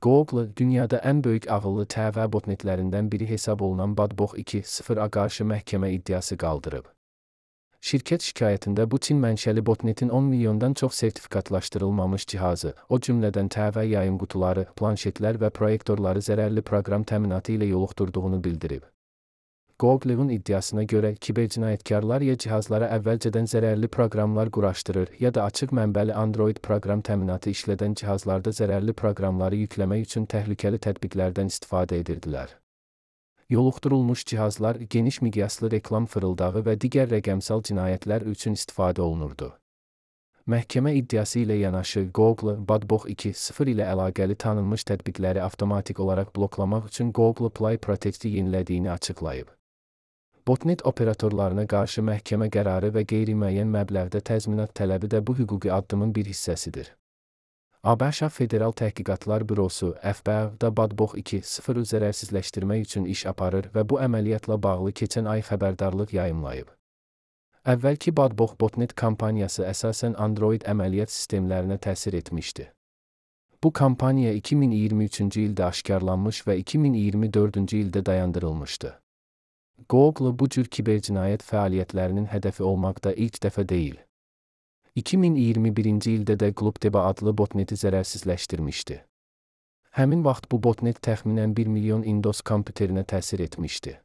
Google, dünyada ən böyük ağıllı TV botnetlərindən biri hesab olunan Badbox 2.0-a qarşı məhkəmə iddiası qaldırıb. Şirkət şikayətində bu Çin mənşəli botnetin 10 milyondan çox sertifikatlaşdırılmamış cihazı, o cümlədən TV yayım qutuları, planşetlər və proyektorları zərərli proqram təminatı ilə yoluxdurduğunu bildirib. Google'un iddiasına görə, kibercinayətkarlar ya cihazlara əvvəlcədən zərərli proqramlar quraşdırır, ya da açıq mənbəli Android proqram təminatı işlədən cihazlarda zərərli proqramları yükləmək üçün təhlükəli tətbiqlərdən istifadə edirdilər. Yoluxdurulmuş cihazlar geniş miqyaslı reklam fırıldağı və digər rəqəmsal cinayətlər üçün istifadə olunurdu. Məhkəmə iddiası ilə yanaşı, Google, Badbox 2.0 ilə əlaqəli tanınmış tətbiqləri avtomatik olaraq bloklamaq üçün Google Play Protect-i yenilədiyini açıqlayıb. Botnet operatorlarına qarşı məhkəmə qərarı və qeyri-müəyyən məbləğdə təzminat tələbi də bu hüquqi addımın bir hissəsidir. ABŞ Federal Təhqiqatlar Bürosu FBI-da Badbox 2.0-ı zərərsizləşdirmək üçün iş aparır və bu əməliyyatla bağlı keçən ay xəbərdarlıq yayımlayıb. Əvvəlki Badbox botnet kampaniyası əsasən Android əməliyyat sistemlərinə təsir etmişdi. Bu kampaniya 2023-cü ildə aşkarlanmış və 2024-cü ildə dayandırılmışdı. Google bu cür kibercinayət fəaliyyətlərinin hədəfi olmaqda ilk dəfə deyil. 2021-ci ildə də Glupdeba adlı botneti zərərsizləşdirmişdi. Həmin vaxt bu botnet təxminən 1 milyon Windows kompüterinə təsir etmişdi.